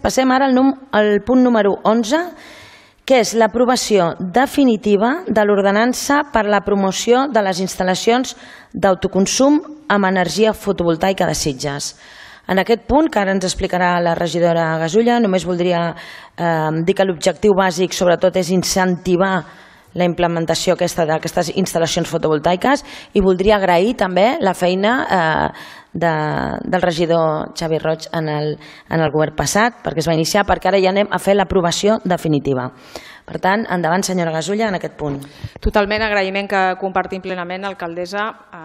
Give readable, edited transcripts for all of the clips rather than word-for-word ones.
Passem ara al punt número 11, que és l'aprovació definitiva de l'ordenança per a la promoció de les instal·lacions d'autoconsum amb energia fotovoltaica de Sitges. En aquest punt, que ara ens explicarà la regidora Gasulla, només voldria dir que l'objectiu bàsic sobretot és incentivar la implementació d'aquestes instal·lacions fotovoltaiques i voldria agrair també la feina del regidor Xavi Roig en el govern passat, perquè es va iniciar, perquè ara ja anem a fer l'aprovació definitiva. Per tant, endavant, senyora Gasulla, en aquest punt. Totalment agraïment que compartim plenament, alcaldessa,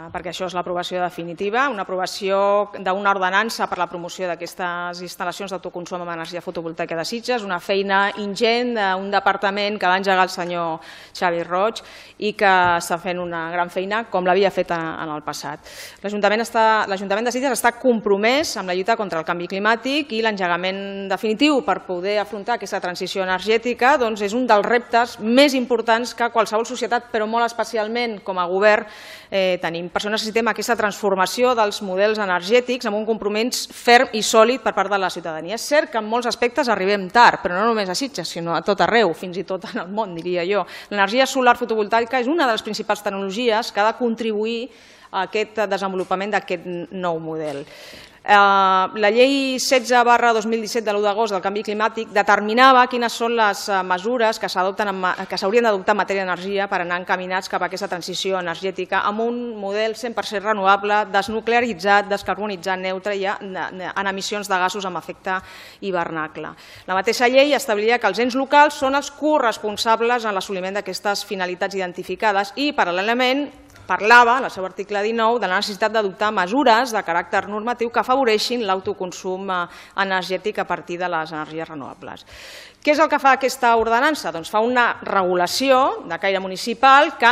perquè això és l'aprovació definitiva, una aprovació d'una ordenança per la promoció d'aquestes instal·lacions d'autoconsum amb energia fotovoltaica de Sitges, una feina ingent d'un departament que va engegar el senyor Xavi Roig i que està fent una gran feina com l'havia fet en el passat. L'Ajuntament de Sitges està compromès amb la lluita contra el canvi climàtic i l'engegament definitiu per poder afrontar aquesta transició energètica és un dels reptes més importants que qualsevol societat, però molt especialment com a govern tenim. Per això necessitem aquesta transformació dels models energètics amb un compromís ferm i sòlid per part de la ciutadania. És cert que en molts aspectes arribem tard, però no només a Sitges, sinó a tot arreu, fins i tot en el món, diria jo. L'energia solar fotovoltaica és una de les principals tecnologies que ha de contribuir a aquest desenvolupament d'aquest nou model. La llei 16/2017 de l'1 d'agost del canvi climàtic determinava quines són les mesures que s'haurien d'adoptar en matèria d'energia per anar encaminats cap a aquesta transició energètica amb un model 100% renovable, desnuclearitzat, descarbonitzat, neutre i en emissions de gasos amb efecte hivernacle. La mateixa llei establia que els ens locals són els corresponsables en l'assoliment d'aquestes finalitats identificades i, paral·lelament, parlava, en el seu article 19, de la necessitat d'adoptar mesures de caràcter normatiu que afavoreixin l'autoconsum energètic a partir de les energies renovables. Què és el que fa aquesta ordenança? Doncs fa una regulació de caire municipal que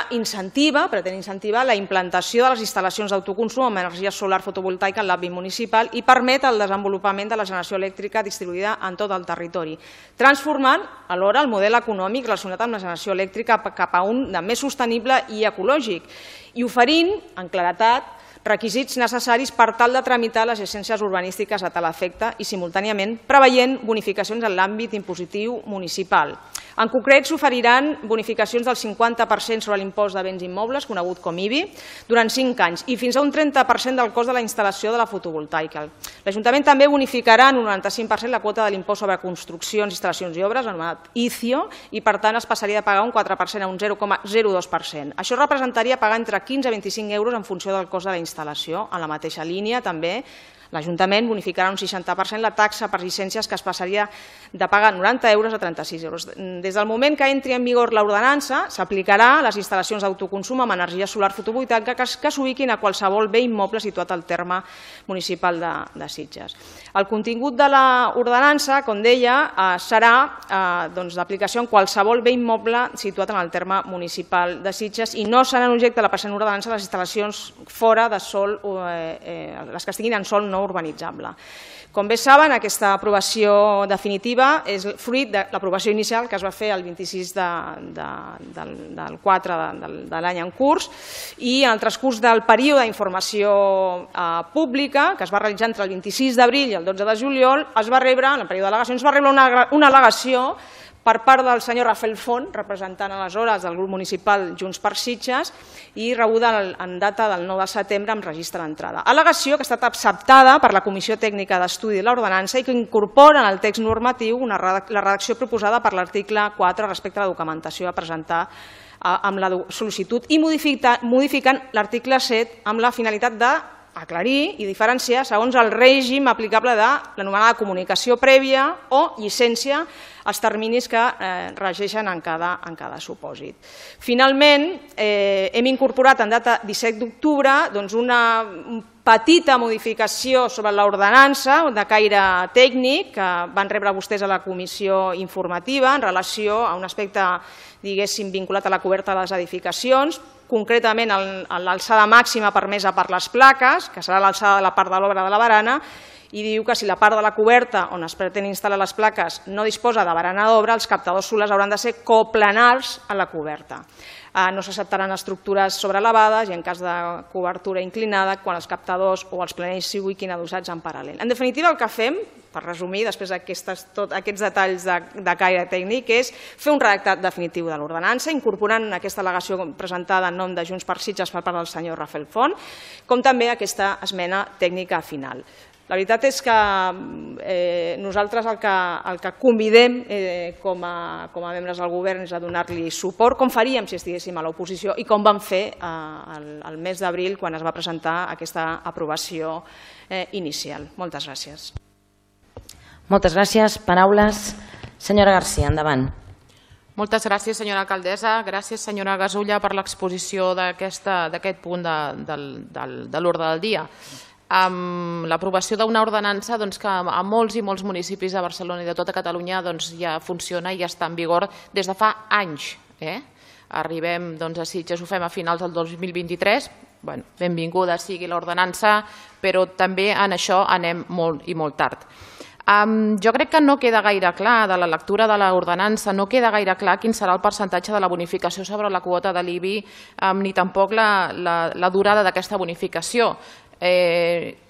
pretén incentivar la implantació de les instal·lacions d'autoconsum amb energia solar fotovoltaica en l'àmbit municipal i permet el desenvolupament de la generació elèctrica distribuïda en tot el territori, transformant alhora el model econòmic relacionat amb la generació elèctrica cap a un de més sostenible i ecològic i oferint, en claredat, requisits necessaris per tal de tramitar les llicències urbanístiques a tal efecte i, simultàniament, preveient bonificacions en l'àmbit impositiu municipal. En concret, s'oferiran bonificacions del 50% sobre l'impost de béns immobles, conegut com IBI, durant 5 anys i fins a un 30% del cost de la instal·lació de la fotovoltaica. L'Ajuntament també bonificarà en un 95% la quota de l'impost sobre construccions, instal·lacions i obres, anomenat ICIO, i per tant es passaria de pagar un 4% a un 0,02%. Això representaria pagar entre 15 a 25 euros en funció del cost de la instal·lació. En la mateixa línia, també, l'Ajuntament bonificarà un 60% la taxa per llicències que es passaria de pagar 90 euros a 36 euros. Des del moment que entri en vigor l'ordenança, s'aplicarà a les instal·lacions d'autoconsum amb energia solar fotovoltaica que s'ubiquin a qualsevol bé immoble situat al terme municipal de Sitges. El contingut de l'ordenança, com deia, serà d'aplicació en qualsevol bé immoble situat en el terme municipal de Sitges i no seran objecte de la present ordenança les instal·lacions fora de sòl, les que estiguin en sòl no urbanitzable. Com bé saben, aquesta aprovació definitiva és fruit de l'aprovació inicial que es va fer el 26 del 4 de l'any en curs i en el transcurs del període d'informació pública que es va realitzar entre el 26 d'abril i el 12 de juliol, en el període d'al·legacions, es va rebre una al·legació per part del senyor Rafael Font, representant aleshores del grup municipal Junts per Sitges, i rebuda en data del 9 de setembre amb registre d'entrada. Al·legació que ha estat acceptada per la Comissió Tècnica d'Estudi de l'Ordenança i que incorpora en el text normatiu la redacció proposada per l'article 4 respecte a la documentació a presentar amb la sol·licitud i modificant l'article 7 amb la finalitat d'aclarir i diferenciar segons el règim aplicable de l'anomenada comunicació prèvia o llicència els terminis que regeixen en cada supòsit. Finalment, hem incorporat en data 17 d'octubre una petita modificació sobre l'ordenança de caire tècnic que van rebre vostès a la comissió informativa en relació a un aspecte, diguéssim, vinculat a la coberta de les edificacions, concretament l'alçada màxima permesa per les plaques, que serà l'alçada de la part de l'obra de la barana, i diu que si la part de la coberta on es pretén instal·lar les plaques no disposa de barana d'obra, els captadors solars hauran de ser coplanars a la coberta. No s'acceptaran estructures sobreelevades i en cas de cobertura inclinada quan els captadors o els planells siguin adossats en paral·lel. En definitiva, el que fem, per resumir, després d'aquests detalls de caire tècnic, és fer un redactat definitiu de l'ordenança, incorporant aquesta al·legació presentada en nom de Junts per Sitges per part del senyor Rafael Font, com també aquesta esmena tècnica final. La veritat és que nosaltres el que convidem com a membres del govern és a donar-li suport, com faríem si estiguéssim a l'oposició i com vam fer el mes d'abril quan es va presentar aquesta aprovació inicial. Moltes gràcies. Moltes gràcies. Paraules. Senyora García, endavant. Moltes gràcies, senyora alcaldessa. Gràcies, senyora Gasulla, per l'exposició d'aquest punt de l'ordre del dia. Amb l'aprovació d'una ordenança que a molts i molts municipis de Barcelona i de tota Catalunya ja funciona i ja està en vigor des de fa anys. Arribem a Sitges, ho fem a finals del 2023, benvinguda sigui l'ordenança, però també en això anem molt i molt tard. Jo crec que no queda gaire clar, de la lectura de l'ordenança, no queda gaire clar quin serà el percentatge de la bonificació sobre la quota de l'IBI, ni tampoc la durada d'aquesta bonificació.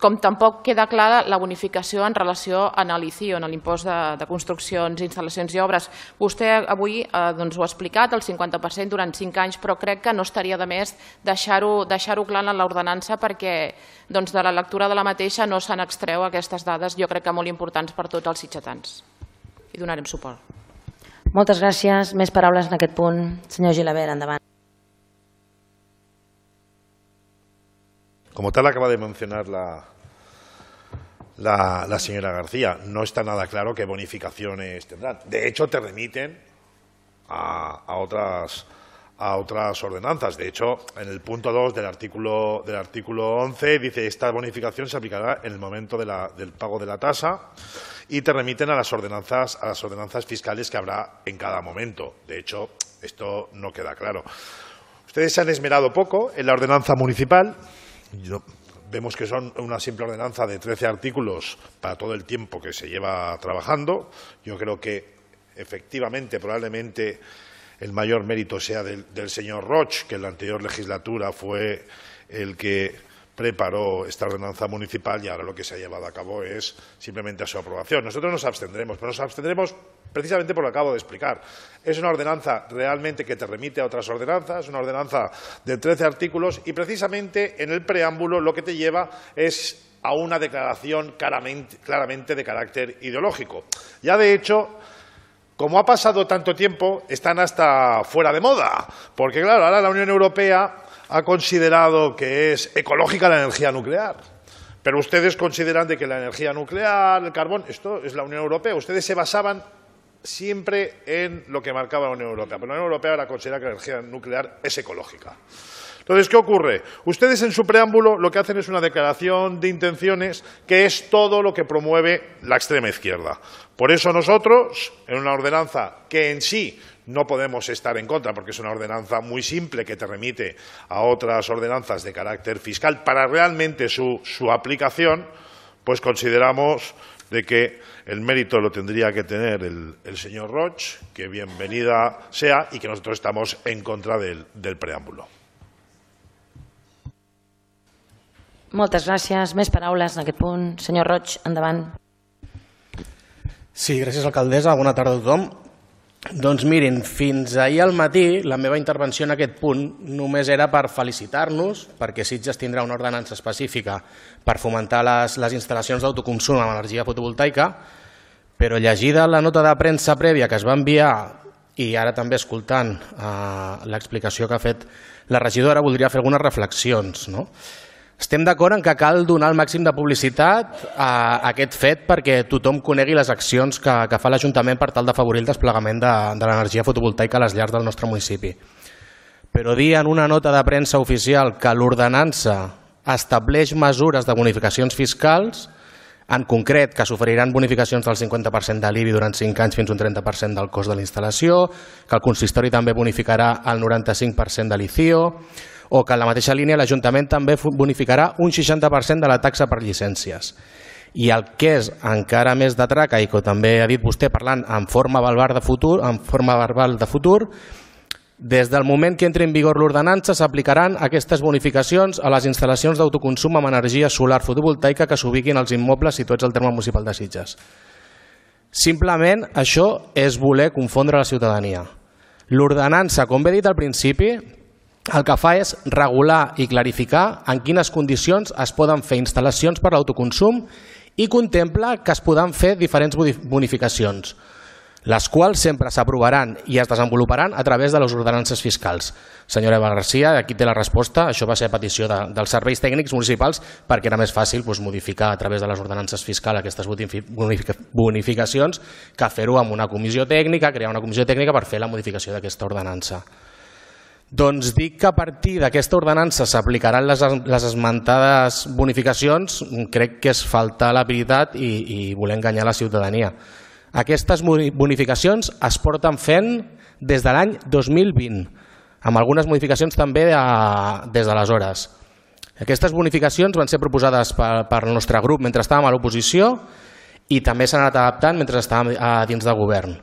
Com tampoc queda clara la bonificació en relació amb l'ICIO, en l'impost de construccions, instal·lacions i obres. Vostè avui ho ha explicat, el 50% durant 5 anys, però crec que no estaria de més deixar-ho clar en l'ordenança perquè de la lectura de la mateixa no se n'extreu aquestes dades, jo crec que molt importants per tots els sitgetans. Hi donarem suport. Moltes gràcies. Més paraules en aquest punt. Senyor Gilabert, endavant. Como tal, acaba de mencionar la señora García, no está nada claro qué bonificaciones tendrán. De hecho, te remiten a otras ordenanzas. De hecho, en el punto 2 del artículo 11 dice esta bonificación se aplicará en el momento del pago de la tasa y te remiten a las ordenanzas fiscales que habrá en cada momento. De hecho, esto no queda claro. Ustedes se han esmerado poco en la ordenanza municipal. Vemos que son una simple ordenanza de 13 artículos para todo el tiempo que se lleva trabajando. Yo creo que efectivamente, probablemente, el mayor mérito sea del señor Roig, que en la anterior legislatura fue el que preparó esta ordenanza municipal y ahora lo que se ha llevado a cabo es simplemente su aprobación. Nosotros nos abstendremos, pero nos abstendremos precisamente por lo que acabo de explicar. Es una ordenanza realmente que te remite a otras ordenanzas, una ordenanza de 13 artículos y precisamente en el preámbulo lo que te lleva es a una declaración claramente de carácter ideológico. Ya de hecho, como ha pasado tanto tiempo, están hasta fuera de moda, porque claro, ahora la Unión Europea ha considerado que es ecológica la energía nuclear. Pero ustedes consideran de que la energía nuclear, el carbón, esto es la Unión Europea. Ustedes se basaban siempre en lo que marcaba la Unión Europea, pero la Unión Europea ahora considera que la energía nuclear es ecológica. Entonces, ¿qué ocurre? Ustedes en su preámbulo lo que hacen es una declaración de intenciones que es todo lo que promueve la extrema izquierda. Por eso nosotros, en una ordenanza que en sí no podemos estar en contra, porque es una ordenanza muy simple que te remite a otras ordenanzas de carácter fiscal para realmente su aplicación, pues consideramos de que el mérito lo tendría que tener el señor Roig, que bienvenida sea, y que nosotros estamos en contra del preámbulo. Moltes gràcies. Més paraules en aquest punt. Senyor Roig, endavant. Sí, gràcies, alcaldessa. Bona tarda a tothom. Doncs mirin, fins ahir al matí la meva intervenció en aquest punt només era per felicitar-nos perquè Sitges tindrà una ordenança específica per fomentar les instal·lacions d'autoconsum amb energia fotovoltaica, però llegida la nota de premsa prèvia que es va enviar i ara també escoltant l'explicació que ha fet la regidora, voldria fer algunes reflexions. Estem d'acord en que cal donar el màxim de publicitat a aquest fet perquè tothom conegui les accions que fa l'Ajuntament per tal d'afavorir el desplegament de l'energia fotovoltaica a les llars del nostre municipi. Però dir en una nota de premsa oficial que l'ordenança estableix mesures de bonificacions fiscals, en concret que s'oferiran bonificacions del 50% de l'IBI durant 5 anys fins a un 30% del cost de la instal·lació, que el consistori també bonificarà el 95% de l'ICIO, o que en la mateixa línia l'Ajuntament també bonificarà un 60% de la taxa per llicències. I el que és encara més de traca, i que també ha dit vostè parlant en forma verbal de futur, des del moment que entri en vigor l'ordenança s'aplicaran aquestes bonificacions a les instal·lacions d'autoconsum amb energia solar fotovoltaica que s'ubiquin als immobles situats al terme municipal de Sitges. Simplement això és voler confondre la ciutadania. L'ordenança, com bé he dit al principi, el que fa és regular i clarificar en quines condicions es poden fer instal·lacions per l'autoconsum i contempla que es poden fer diferents bonificacions, les quals sempre s'aprovaran i es desenvoluparan a través de les ordenances fiscals. Senyora Eva Garcia, aquí té la resposta. Això va ser a petició dels serveis tècnics municipals perquè era més fàcil modificar a través de les ordenances fiscals aquestes bonificacions que fer-ho amb una comissió tècnica, crear una comissió tècnica per fer la modificació d'aquesta ordenança. Doncs dic que a partir d'aquesta ordenança s'aplicaran les esmentades bonificacions, crec que és faltar la veritat i voler enganyar la ciutadania. Aquestes bonificacions es porten fent des de l'any 2020, amb algunes modificacions també des d'aleshores. Aquestes bonificacions van ser proposades pel nostre grup mentre estàvem a l'oposició i també s'han anat adaptant mentre estàvem dins del govern.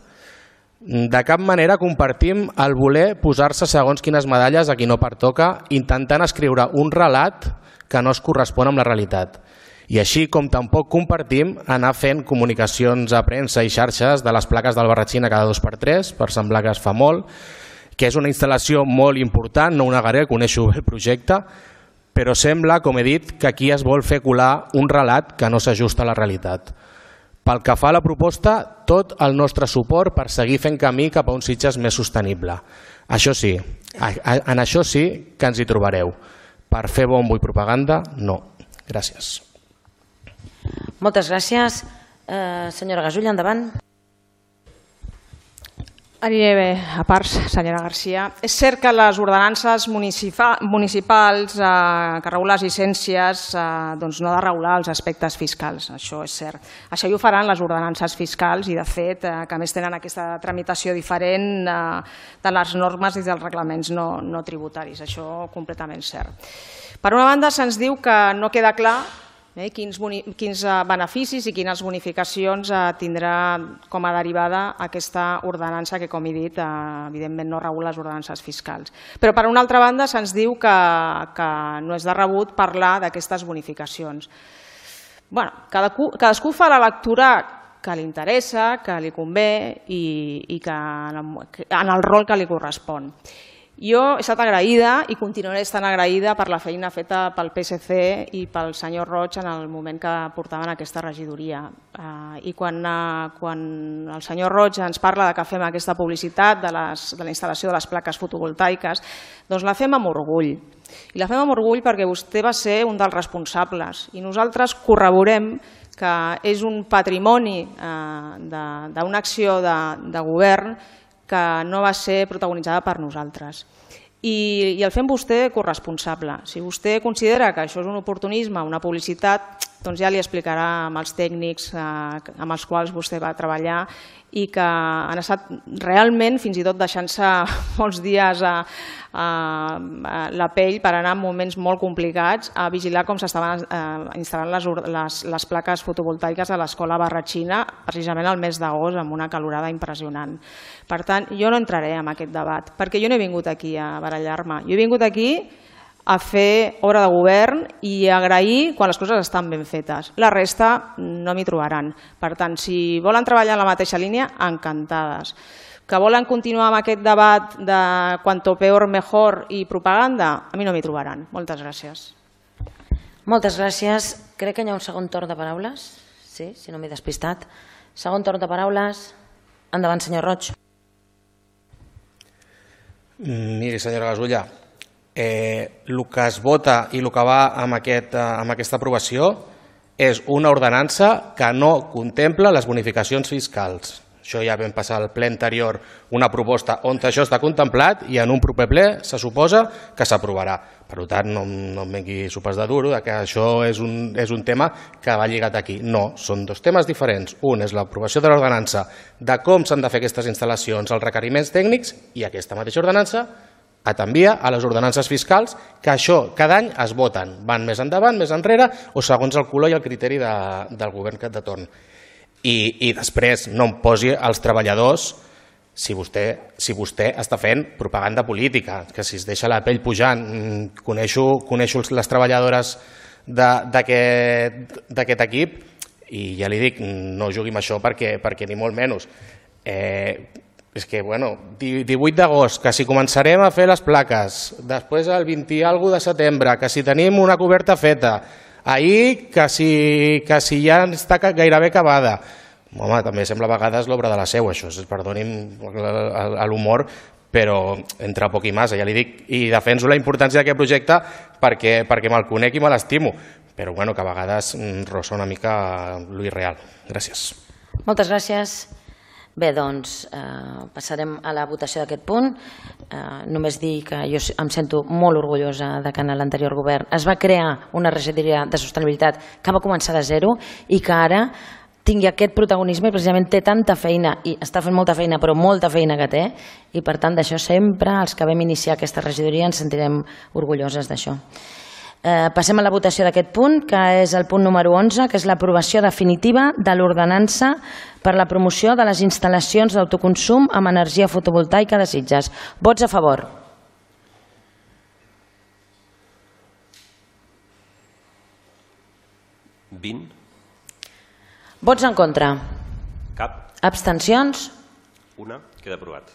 De cap manera compartim el voler posar-se segons quines medalles a qui no pertoca, intentant escriure un relat que no es correspon amb la realitat. I així com tampoc compartim anar fent comunicacions a premsa i xarxes de les plaques del Barratxina cada 2x3 per semblar que es fa molt, que és una instal·lació molt important, no ho negaré, coneixo bé el projecte, però sembla, com he dit, que aquí es vol fer colar un relat que no s'ajusta a la realitat. Pel que fa a la proposta, tot el nostre suport per seguir fent camí cap a un Sitges més sostenible. Això sí, en això sí que ens hi trobareu. Per fer bombo i propaganda, no. Gràcies. Moltes gràcies. Senyora Gasulla, endavant. Aniré bé a parts, senyora Garcia. És cert que les ordenances municipals que regulen les llicències no ha de regular els aspectes fiscals, això és cert. Això ho faran les ordenances fiscals i, de fet, que a més tenen aquesta tramitació diferent de les normes i dels reglaments no tributaris. Això completament cert. Per una banda, se'ns diu que no queda clar quins beneficis i quines bonificacions tindrà com a derivada aquesta ordenança que, com he dit, evidentment no regula les ordenances fiscals. Però per una altra banda se'ns diu que no és de rebut parlar d'aquestes bonificacions. Cadascú fa la lectura que li interessa, que li convé i en el rol que li correspon. Jo he estat agraïda i continuaré estant agraïda per la feina feta pel PSC i pel senyor Roig en el moment que portaven aquesta regidoria. I quan el senyor Roig ens parla que fem aquesta publicitat de la instal·lació de les plaques fotovoltaiques, doncs la fem amb orgull. I la fem amb orgull perquè vostè va ser un dels responsables i nosaltres corroborem que és un patrimoni d'una acció de govern que no va ser protagonitzada per nosaltres. I el fem vostè corresponsable. Si vostè considera que això és un oportunisme, una publicitat, doncs ja li explicarà amb els tècnics amb els quals vostè va treballar i que han estat realment, fins i tot deixant-se molts dies la pell per anar en moments molt complicats a vigilar com s'estaven instal·lant les plaques fotovoltaiques a l'escola Barratxina, precisament al mes d'agost, amb una calorada impressionant. Per tant, jo no entraré en aquest debat, perquè jo no he vingut aquí a barallar-me. Jo he vingut aquí a fer obra de govern i a agrair quan les coses estan ben fetes. La resta no m'hi trobaran. Per tant, si volen treballar en la mateixa línia, encantades. Que volen continuar amb aquest debat de cuanto peor mejor i propaganda, a mi no m'hi trobaran. Moltes gràcies. Moltes gràcies. Crec que hi ha un segon torn de paraules. Sí, si no m'he despistat. Segon torn de paraules. Endavant, senyor Roig. Miri, senyora Gasulla, el que es vota i el que va amb aquesta aprovació és una ordenança que no contempla les bonificacions fiscals. Això ja vam passar al ple anterior una proposta on això està contemplat i en un proper ple se suposa que s'aprovarà. Per tant, no em vengui sopes de duro que això és un tema que va lligat aquí. No, són dos temes diferents. Un és l'aprovació de l'ordenança de com s'han de fer aquestes instal·lacions, els requeriments tècnics, i aquesta mateixa ordenança t'envia a les ordenances fiscals, que això cada any es voten, van més endavant, més enrere, o segons el color i el criteri del govern que et de torn. I després no em posi als treballadors, si vostè està fent propaganda política, que si es deixa la pell pujant, coneixo les treballadores d'aquest equip i ja li dic, no jugui amb això perquè ni molt menys. És que, 18 d'agost, que si començarem a fer les plaques, després el 20 i alguna de setembre, que si tenim una coberta feta, ahir que si ja està gairebé acabada. Home, també sembla a vegades l'obra de la seu, això, perdoni'm l'humor, però entre poc i massa, ja li dic, i defenso la importància d'aquest projecte perquè me'l conec i me l'estimo, però que a vegades rossa una mica lo irreal. Gràcies. Moltes gràcies. Bé, doncs passarem a la votació d'aquest punt. Només dir que jo em sento molt orgullosa de que en l'anterior govern es va crear una regidoria de sostenibilitat que va començar de zero i que ara tingui aquest protagonisme i precisament té tanta feina i està fent molta feina, però molta feina que té, i per tant d'això sempre els que vam iniciar aquesta regidoria ens sentirem orgulloses d'això. Passem a la votació d'aquest punt, que és el punt número 11, que és l'aprovació definitiva de l'ordenança per la promoció de les instal·lacions d'autoconsum amb energia fotovoltaica de Sitges. Vots a favor. Vots en contra. Cap. Abstencions. Una. Queda aprovat.